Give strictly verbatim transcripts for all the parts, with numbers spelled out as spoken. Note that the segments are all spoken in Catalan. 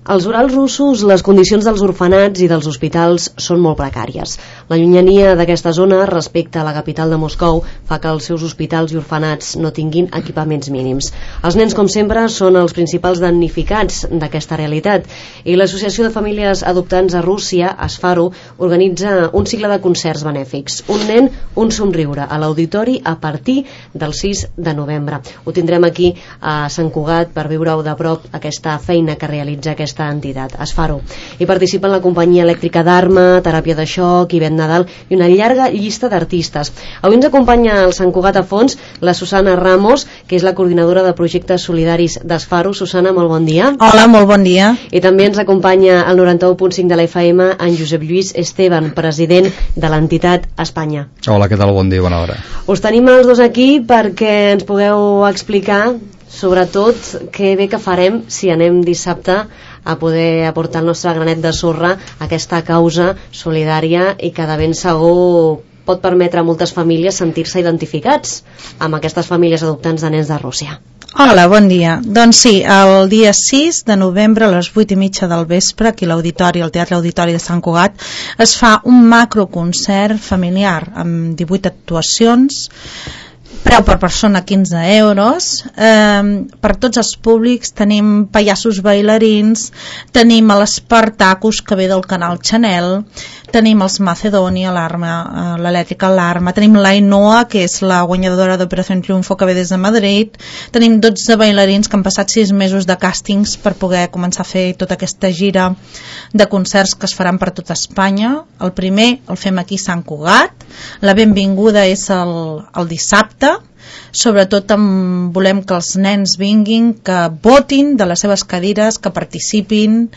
Als Urals russos, les condicions dels orfenats i dels hospitals són molt precàries. La llunyania d'aquesta zona respecte a la capital de Moscou fa que els seus hospitals i orfenats no tinguin equipaments mínims. Els nens, com sempre, són els principals damnificats d'aquesta realitat i l'Associació de Famílies Adoptants a Rússia, Asfaro, organitza un cicle de concerts benèfics. Un nen, un somriure, a l'auditori a partir del sis de novembre. Ho tindrem aquí a Sant Cugat per viure-ho de prop aquesta feina que realitza aquesta entitat, Asfaro. Hi participen la companyia elèctrica d'Arma, Teràpia de Xoc, Ivet Nadal i una llarga llista d'artistes. Avui ens acompanya al Sant Cugat a fons la Susana Ramos, que és la coordinadora de projectes solidaris d'Asfaro. Susana, molt bon dia. Hola, molt bon dia. I també ens acompanya al noranta-u punt cinc de la F M en Josep Lluís Esteban, president de l'entitat Espanya. Hola, què tal? Bon dia, bona hora. Us tenim els dos aquí perquè ens pugueu explicar sobretot què bé que farem si anem dissabte a poder aportar el nostre granet de sorra a aquesta causa solidària i que de ben segur pot permetre a moltes famílies sentir-se identificats amb aquestes famílies adoptants de nens de Rússia. Hola, bon dia. Doncs sí, el dia sis de novembre a les vuit i mitja del vespre, aquí a l'auditori, al Teatre Auditori de Sant Cugat, es fa un macroconcert familiar amb divuit actuacions, preu per persona quinze euros, eh, per tots els públics. Tenim pallassos bailarins, tenim l'Espartacus que ve del canal Chanel, tenim els Macedònia, l'Arma, l'Elèctrica, l'Arma, tenim l'Ainoa, que és la guanyadora d'Operació Triunfo, que ve des de Madrid, tenim dotze bailarins que han passat sis mesos de càstings per poder començar a fer tota aquesta gira de concerts que es faran per tota Espanya. El primer el fem aquí a Sant Cugat, la benvinguda és el, el dissabte. Sobretot amb, volem que els nens vinguin, que votin de les seves cadires, que participin,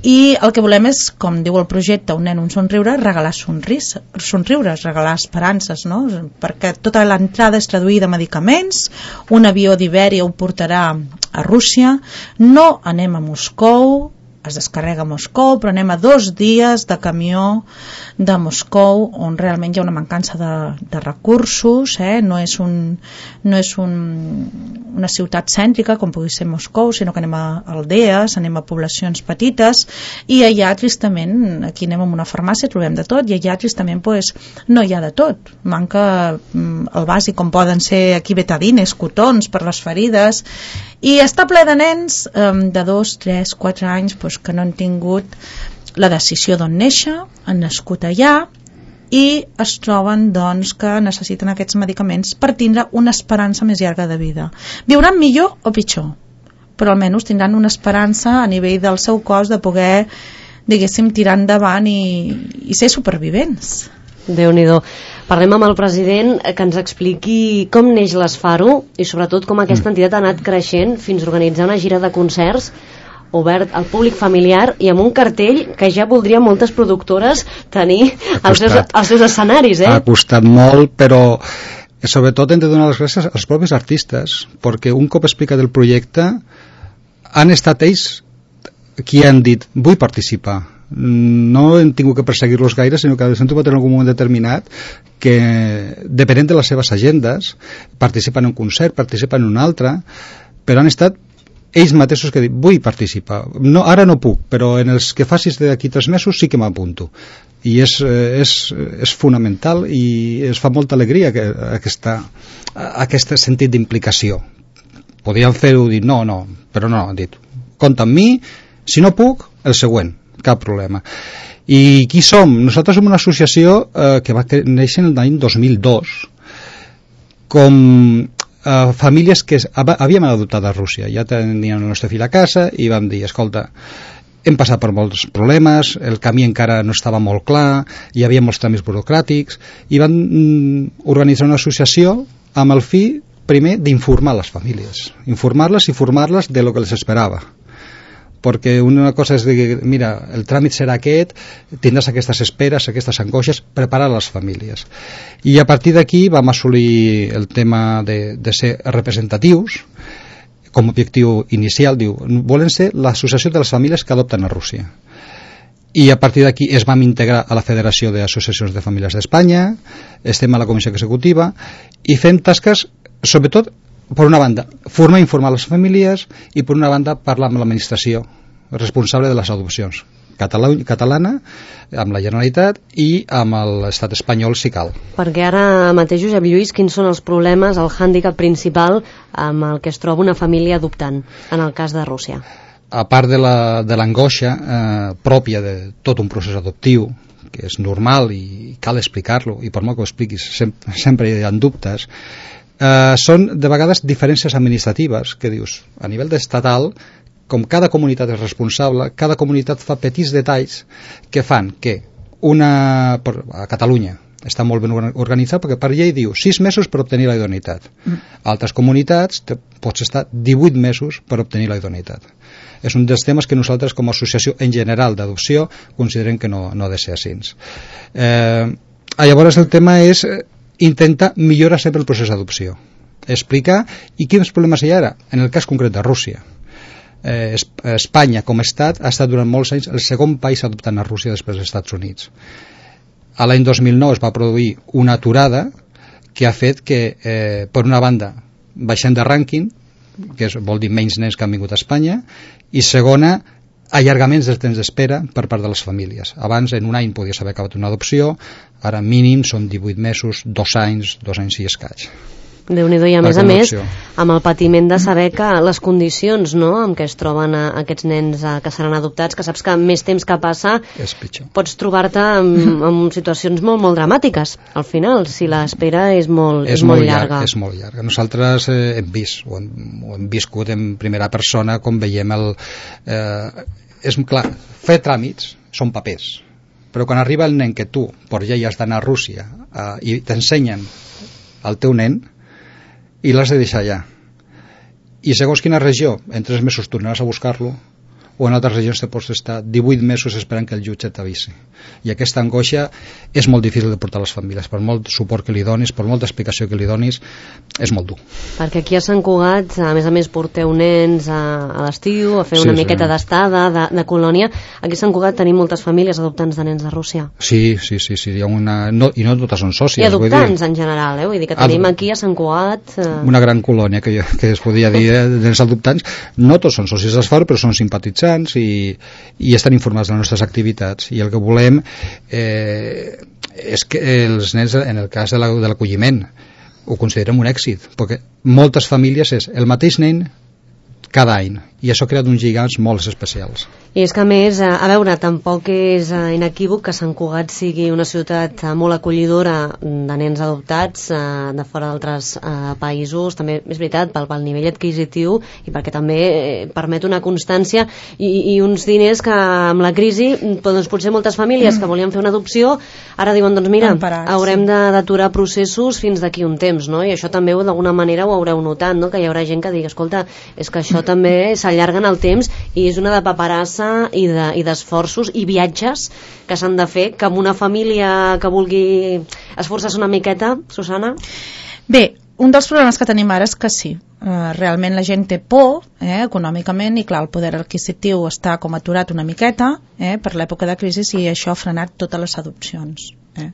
i el que volem és, com diu el projecte Un nen, un somriure, regalar somris, somriures, regalar esperances, no? Perquè tota l'entrada és traduïda a medicaments, un avió d'Ibèria ho portarà a Rússia, no anem a Moscou, es descarrega a Moscou, però anem a dos dies de camió de Moscou, on realment hi ha una mancança de, de recursos, eh? no és, un, no és un, una ciutat cèntrica com pugui ser Moscou, sinó que anem a aldees, anem a poblacions petites, i allà tristament, aquí anem a una farmàcia, trobem de tot, i allà tristament pues, no hi ha de tot, manca mm, el bàsic, com poden ser aquí betadines, cotons per les ferides, i està ple de nens eh, de dos, tres, quatre anys pues, que no han tingut la decisió d'on néixer, han nascut allà i es troben doncs, que necessiten aquests medicaments per tindre una esperança més llarga de vida. Viuran millor o pitjor, però almenys tindran una esperança a nivell del seu cos de poder, diguéssim, tirar endavant i, i ser supervivents. Déu-n'hi-do. Parlem amb el president que ens expliqui com neix l'Asfaro i sobretot com aquesta entitat ha anat creixent fins a organitzar una gira de concerts obert al públic familiar i amb un cartell que ja voldrien moltes productores tenir als seus, als seus escenaris. Eh? Ha costat molt, però sobretot hem de donar les gràcies als propis artistes, perquè un cop explicat el projecte han estat ells qui han dit vull participar. No hem tingut que perseguir-los gaire, sinó que s'han trobat en algun moment determinat que, depenent de les seves agendes, participen en un concert, participen en un altre, però han estat ells mateixos que diuen, vull participar. No, ara no puc, però en els que facis d'aquí tres mesos sí que m'apunto. I és, és, és fonamental i es fa molta alegria que, aquesta, aquest sentit d'implicació. Podríem fer-ho, dir no, no, però no, han dit, compta amb mi, si no puc, el següent. Cap problema. I qui som? Nosaltres som una associació eh, que va néixer en l'any dos mil dos com eh, famílies que havíem adoptat a Rússia. Ja teníem el nostre fill a casa i vam dir, escolta, hem passat per molts problemes, el camí encara no estava molt clar, hi havia molts tràmits burocràtics, i van mm, organitzar una associació amb el fi, primer, d'informar les famílies. Informar-les i formar-les de lo que les esperava. Perquè una cosa és dir, mira, el tràmit serà aquest, tindràs aquestes esperes, aquestes angoixes, preparar les famílies. I a partir d'aquí vam assolir el tema de, de ser representatius, com a objectiu inicial, diu, volen ser l'associació de les famílies que adopten a Rússia. I a partir d'aquí es vam integrar a la Federació d'Associacions de Famílies d'Espanya, estem a la Comissió Executiva, i fem tasques, sobretot, per una banda, formar i informar les famílies i per una banda parlar amb l'administració, responsable de les adopcions, catalana, amb la Generalitat i amb l'estat espanyol si cal. Perquè ara mateix, Josep Lluís, quins són els problemes, el hàndicap principal amb el que es troba una família adoptant, en el cas de Rússia? A part de l'angoixa eh, pròpia de tot un procés adoptiu, que és normal i cal explicar-lo, i per molt que ho expliquis sempre, sempre hi ha dubtes, eh, són de vegades diferències administratives, que dius, a nivell estatal, com cada comunitat és responsable, cada comunitat fa petits detalls que fan que una, a Catalunya està molt ben organitzat perquè per llei diu sis mesos per obtenir la idoneïtat. Mm. Altres comunitats te, pots estar divuit mesos per obtenir la idoneïtat. És un dels temes que nosaltres com a associació en general d'adopció considerem que no, no ha de ser així. Eh, llavors el tema és intentar millorar sempre el procés d'adopció. Explicar i quins problemes hi ha ara, en el cas concret de Rússia. Eh, Espanya com a estat ha estat durant molts anys el segon país adoptant a Rússia després dels Estats Units. A l'any dos mil nou es va produir una aturada que ha fet que, eh, per una banda, baixem de rànquing, que és, vol dir menys nens que han vingut a Espanya, i segona, allargaments del temps d'espera per part de les famílies. Abans, en un any, podies haver acabat una adopció, ara mínim són divuit mesos, dos anys, dos anys i escaig. Déu-n'hi-do, i a més a més, amb el patiment de saber que les condicions, no?, en què es troben a, aquests nens a, que seran adoptats, que saps que més temps que passa pots trobar-te en, en situacions molt, molt dramàtiques, al final, si l'espera és molt, és, és molt, molt llarga. Llarg, és molt llarga. Nosaltres eh, hem vist, o hem, o hem viscut en primera persona, com veiem el... Eh, és clar, fer tràmits són papers, però quan arriba el nen que tu, per llei, has d'anar a Rússia eh, i t'ensenyen el teu nen, i l'has de deixar allà. I segons quina regió, en tres mesos tornaràs a buscar-lo, o en altres regions te pots estar divuit mesos esperant que el jutge t'avisi. I aquesta angoixa és molt difícil de portar a les famílies, per molt suport que li donis, per molta explicació que li donis, és molt dur. Perquè aquí a Sant Cugat, a més a més, porteu nens a, a l'estiu, a fer una sí, miqueta sí. d'estada, de, de colònia. Aquí a Sant Cugat tenim moltes famílies adoptants de nens de Rússia. Sí, sí, sí, sí. Hi ha una... no, i no totes són sòcies. I adoptants, vull dir... en general, eh? Vull dir que tenim aquí a Sant Cugat... Eh... Una gran colònia, que, que es podria dir, eh, de nens adoptants. No tots són sòcies d'Esfar, però són simpatitzants i, i estan informats de les nostres activitats, i el que volem eh, és que els nens, en el cas de l'acolliment, ho considerem un èxit, perquè moltes famílies és el mateix nen cada any, i això ha creat uns lligams molt especials. I és que a més, a veure, tampoc és inequívoc que Sant Cugat sigui una ciutat molt acollidora de nens adoptats de fora d'altres països, també és veritat, pel, pel nivell adquisitiu i perquè també permet una constància i, i uns diners que amb la crisi, doncs potser moltes famílies que volien fer una adopció, ara diuen, doncs mira, haurem d'aturar processos fins d'aquí un temps, no? I això també d'alguna manera ho haureu notat, no? Que hi haurà gent que digui, escolta, és que això també s'allarguen el temps i és una de paperassa i d'esforços de, i, i viatges que s'han de fer, que amb una família que vulgui esforçar-se una miqueta, Susana? Bé, un dels problemes que tenim ara és que sí, eh, realment la gent té por eh, econòmicament, i clar, el poder adquisitiu està com aturat una miqueta eh, per l'època de crisi, i això ha frenat totes les adopcions. Eh.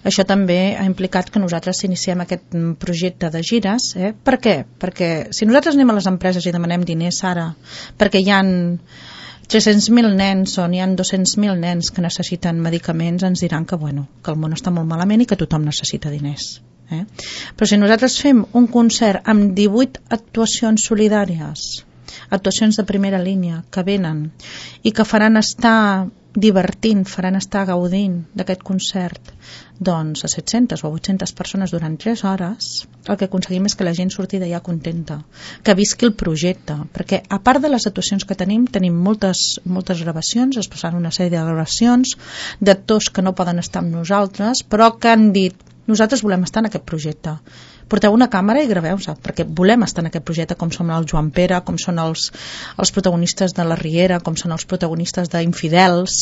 Això també ha implicat que nosaltres iniciem aquest projecte de gires. Eh. Per què? Perquè si nosaltres anem a les empreses i demanem diners ara, perquè hi ha tres-cents mil nens o n'hi ha dos-cents mil nens que necessiten medicaments, ens diran que, bueno, que el món està molt malament i que tothom necessita diners. Eh. Però si nosaltres fem un concert amb divuit actuacions solidàries, actuacions de primera línia que venen i que faran estar divertint, faran estar gaudint d'aquest concert, doncs a set-centes o vuit-centes persones durant tres hores, el que aconseguim és que la gent surti d'allà contenta, que visqui el projecte, perquè a part de les actuacions que tenim, tenim moltes, moltes gravacions, es passaran una sèrie de gravacions d'actors que no poden estar amb nosaltres, però que han dit, nosaltres volem estar en aquest projecte. Porteu una càmera i graveu-se, perquè volem estar en aquest projecte, com són el Joan Pere, com són els, els protagonistes de La Riera, com són els protagonistes d'Infidels,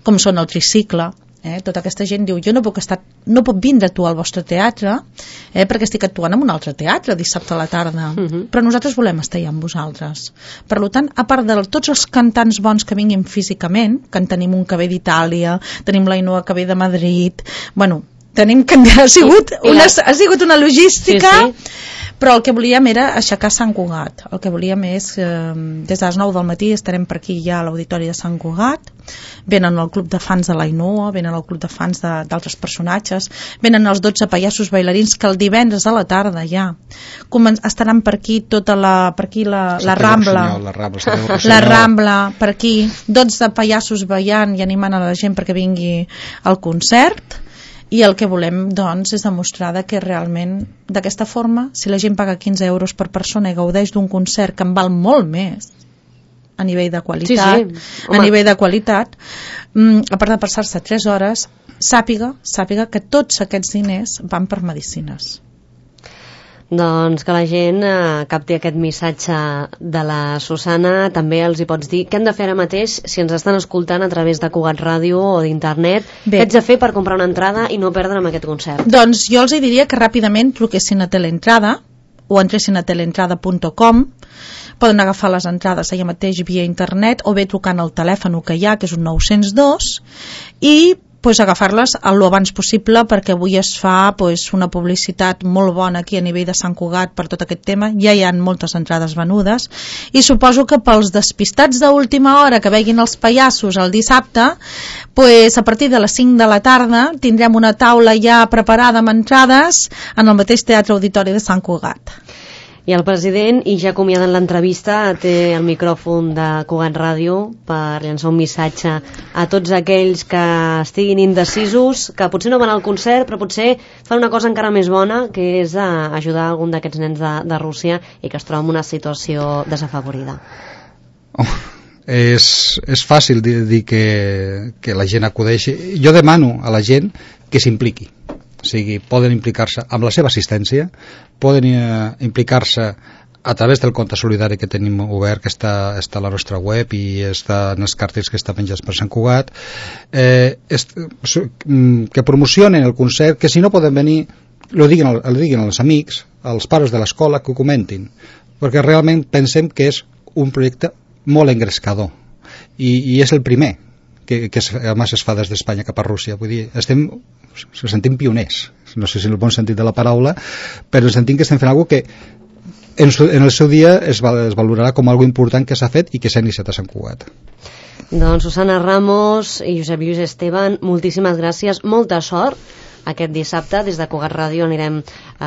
com són el Tricicle. Eh? Tota aquesta gent diu, jo no puc, estar, no puc vindre a actuar al vostre teatre eh, perquè estic actuant en un altre teatre dissabte a la tarda, uh-huh. Però nosaltres volem estar allà amb vosaltres. Per tant, a part de tots els cantants bons que vinguin físicament, que en tenim un que ve d'Itàlia, tenim l'Ainoa que ve de Madrid, bueno, tenim que ha sigut, una, ha sigut una logística, sí, sí. Però el que volíem era aixecar Sant Cugat. El que volíem és, eh, des de les nou del matí estarem per aquí ja a l'Auditori de Sant Cugat, venen el club de fans de l'Ainhoa, venen el club de fans d'altres personatges, venen els dotze pallassos bailarins que el divendres a la tarda ja Comen estaran per aquí tota la, per aquí la, la Rambla, Rossinyol, la Rambla, la Rambla, per aquí, dotze pallassos ballant i animant a la gent perquè vingui al concert, i el que volem doncs és demostrar que realment d'aquesta forma, si la gent paga quinze euros per persona i gaudeix d'un concert que en val molt més a nivell de qualitat, sí, sí. a nivell de qualitat, a part de passar-se tres hores, sàpiga, sàpiga que tots aquests diners van per medicines. Doncs que la gent eh, capti aquest missatge de la Susana. També els hi pots dir què han de fer ara mateix si ens estan escoltant a través de Cugat Ràdio o d'internet. Què ets de fer per comprar una entrada i no perdre amb aquest concert? Doncs jo els diria que ràpidament truquessin a Teleentrada o entressin a teleentrada punt com. Poden agafar les entrades allà mateix via internet o bé trucant al telèfon que hi ha, que és un nou zero dos, i pues, agafar-les el abans possible, perquè avui es fa pues, una publicitat molt bona aquí a nivell de Sant Cugat per tot aquest tema. Ja hi ha moltes entrades venudes i suposo que pels despistats d'última hora que veguin els pallassos el dissabte, pues, a partir de les cinc de la tarda tindrem una taula ja preparada amb entrades en el mateix Teatre Auditori de Sant Cugat. I el president, i ja acomiadant l'entrevista, té el micròfon de Cugat Ràdio per llançar un missatge a tots aquells que estiguin indecisos, que potser no van al concert, però potser fan una cosa encara més bona, que és ajudar algun d'aquests nens de, de Rússia i que es troba en una situació desafavorida. Oh, és, és fàcil dir, dir que, que la gent acudeixi. Jo demano a la gent que s'impliqui. O sigui, poden implicar-se amb la seva assistència, poden eh, implicar-se a través del compte solidari que tenim obert, que està, està a la nostra web i està en els càrtels que està penjats per Sant Cugat, eh, est, que promocionen el concert, que si no poden venir lo diguin, lo diguin als amics, als pares de l'escola, que ho comentin, perquè realment pensem que és un projecte molt engrescador i, i és el primer que, que es, a més es fa des d'Espanya cap a Rússia. Vull dir, estem, se sentim pioners, no sé si en el bon sentit de la paraula, però sentim que estem fent alguna que en, en el seu dia es, val, es valorarà com algo important que s'ha fet i que s'ha iniciat a Sant Cugat. Doncs Susana Ramos i Josep Lluís Esteban, moltíssimes gràcies, molta sort aquest dissabte. Des de Cugat Ràdio anirem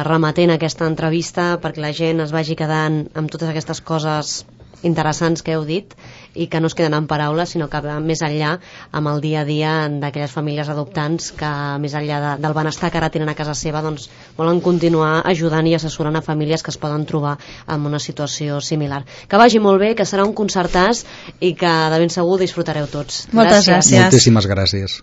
remetent aquesta entrevista perquè la gent es vagi quedant amb totes aquestes coses interessants que heu dit i que no es queden en paraules, sinó que va més enllà amb el dia a dia d'aquelles famílies adoptants que més enllà de, del benestar que ara tenen a casa seva, doncs volen continuar ajudant i assessorant a famílies que es poden trobar en una situació similar. Que vagi molt bé, que serà un concertàs i que de ben segur disfrutareu tots. Moltes gràcies. Moltíssimes gràcies.